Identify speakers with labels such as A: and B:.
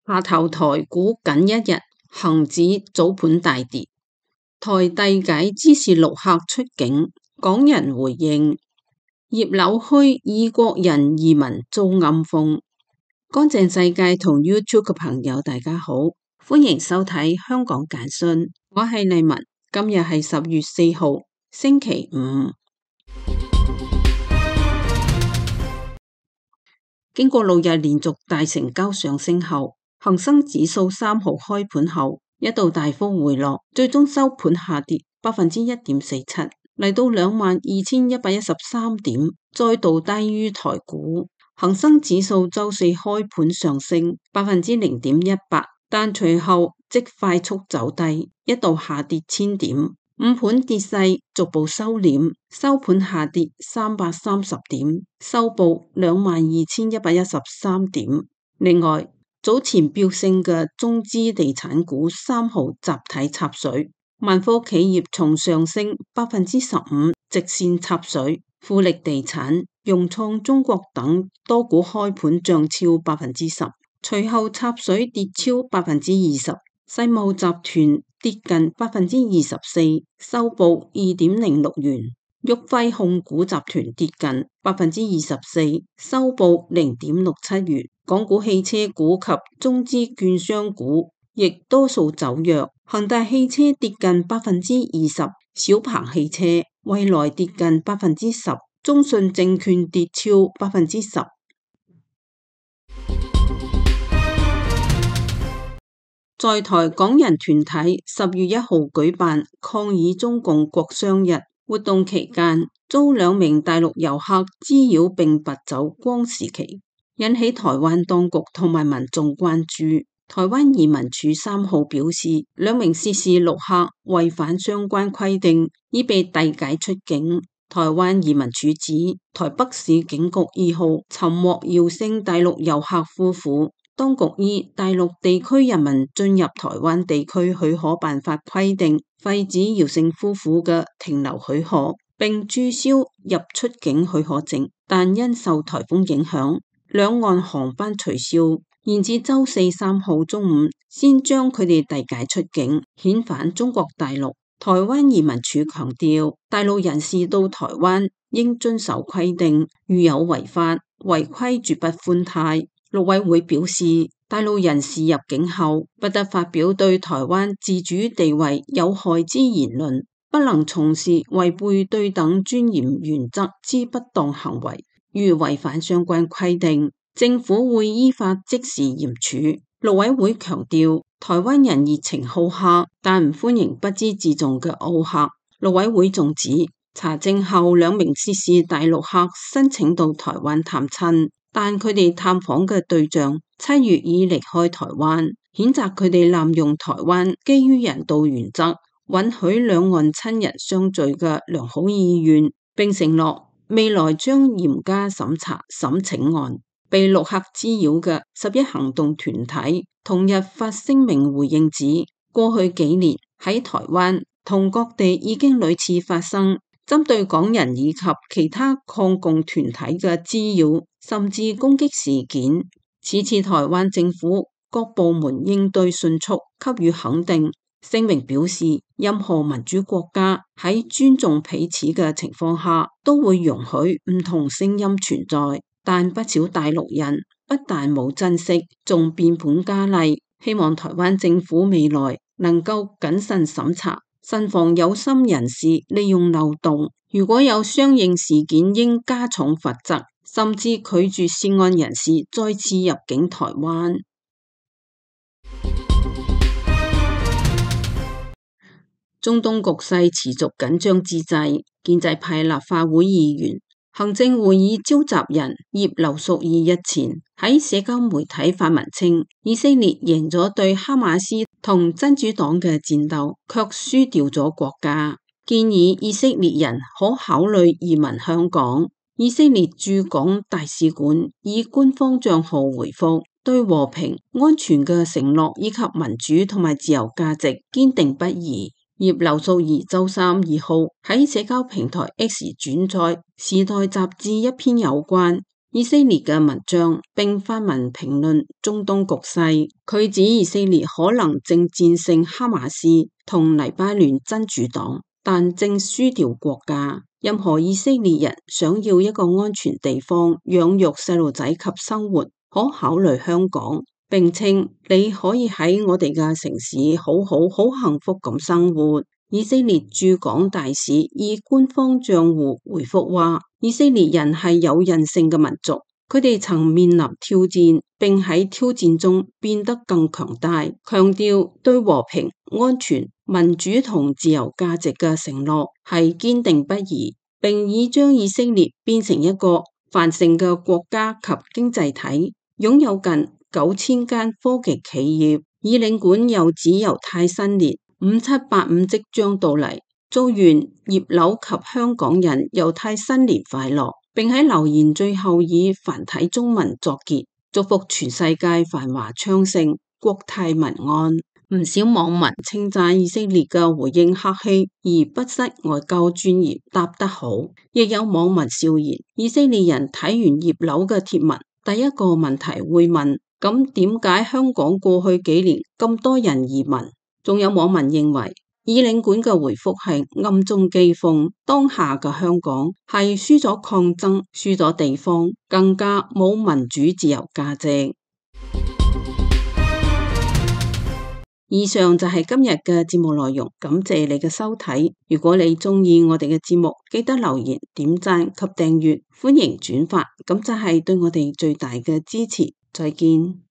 A: 下頭台股僅一日，恒指早盤大跌。台遞解支持陸客出境，港人回應。葉劉墟異國人移民遭暗諷。乾淨世界同 YouTube 嘅朋友大家好，歡迎收睇香港簡訊，我係麗文。今日係10月4號星期五。經過6日連續大成交上升後，恒生指數3號開盤後一度大幅回落，最終收盤下跌1.47%，嚟到22,113點，再度低於台股。恒生指數周四開盤上升0.18%，但隨後即快速走低，一度下跌1000點。午盤跌勢逐步收斂，收盤下跌330點，收報22,113點。另外，早前飆升嘅中資地產股3號集體插水，萬科企業從上升15%直線插水，富力地產、融創中國等多股開盤漲超10%，隨後插水跌超20%。世茂集團跌近24%，收報2.06元；旭輝控股集團跌近24%，收報0.67元。港股汽車股及中資券商股亦多數走弱，恒大汽車跌近20%，小鵬汽車、蔚來跌近10%，中信證券跌超10%。在台港人團體10月1號舉辦抗議中共國殤日活動期間，遭2名大陸遊客滋擾並拔走光時旗，引起台灣當局同埋民眾關注。台灣移民署3號表示，2名涉事陸客違反相關規定，已被遞解出境。台灣移民署指，台北市警局2號尋獲姚姓大陸遊客夫婦。當局依大陸地區人民進入台灣地區許可辦法規定，廢止姚姓夫婦嘅停留許可，並註銷入出境許可證，但因受颱風影響，兩岸航班取消，延至周四3號中午先將佢哋遞解出境，遣返中國大陸。台灣移民署強調，大陸人士到台灣應遵守規定，如有違法違規絕不寬貸。陸委會表示，大陸人士入境後不得發表對台灣自主地位有害之言論，不能從事違背對等尊嚴原則之不當行為。如違反相關規定，政府會依法即時嚴處。陸委會強調，台灣人熱情好客，但唔歡迎不知自重嘅澳客。陸委會仲指，查證後2名涉事大陸客申請到台灣探親，但佢哋探訪嘅對象7月已離開台灣，譴責佢哋濫用台灣基於人道原則，允許兩岸親人相聚嘅良好意願，並承諾未來將嚴加審查審請案。被陸客滋擾嘅11行動團體同日發聲明回應指，過去幾年喺台灣同各地已經屢次發生針對港人以及其他抗共團體嘅滋擾甚至攻擊事件，此次台灣政府各部門應對迅速，給予肯定。聲明表示，任何民主國家喺尊重彼此嘅情況下，都會容許唔同聲音存在，但不少大陸人不但冇珍惜，仲變本加厲。希望台灣政府未來能夠謹慎審查，慎防有心人士利用漏洞。如果有相應事件，應加重罰則，甚至拒絕涉案人士再次入境台灣。中東局勢持續緊張之際，建制派立法會議員、行政會議召集人葉劉淑儀日前喺社交媒體發文稱，以色列贏咗對哈馬斯同真主黨嘅戰鬥，卻輸掉咗國家，建議以色列人可考慮移民香港。以色列駐港大使館以官方賬號回覆，對和平、安全嘅承諾以及民主同埋自由價值堅定不移。葉劉淑儀周3、2號喺社交平台 X 轉載《時代》雜誌一篇有關以色列嘅文章，並發文評論中東局勢。佢指以色列可能正戰勝哈馬斯同黎巴嫩真主黨，但正輸掉國家。任何以色列人想要一個安全地方養育細路仔及生活，可考慮香港，並稱你可以喺我哋嘅城市好幸福咁生活。以色列駐港大使以官方賬戶回覆話，以色列人係有韌性嘅民族，佢哋曾面臨挑戰，並喺挑戰中變得更強大，強調對和平、安全、民主同自由價值嘅承諾係堅定不移，並已將以色列變成一個繁盛嘅國家及經濟體，擁有近9000間科技企業。以領館又指猶太新年5785即將到嚟，祝願葉劉及香港人猶太新年快樂，並喺留言最後以繁體中文作結，祝福全世界繁華昌盛，國泰民安。唔少網民稱讚以色列嘅回應客氣而不失外交專業，答得好。亦有網民笑言，以色列人睇完葉劉嘅貼文，第一個問題會問：咁點解香港過去幾年咁多人移民？仲有網民認為，以領館嘅回覆係暗中譏諷當下嘅香港係輸咗抗爭，輸咗地方，更加冇民主自由價值。以上就係今日嘅節目內容，感謝你嘅收睇。如果你鍾意我哋嘅節目，記得留言、點讚及訂閱，歡迎轉發，咁就係對我哋最大嘅支持。再見。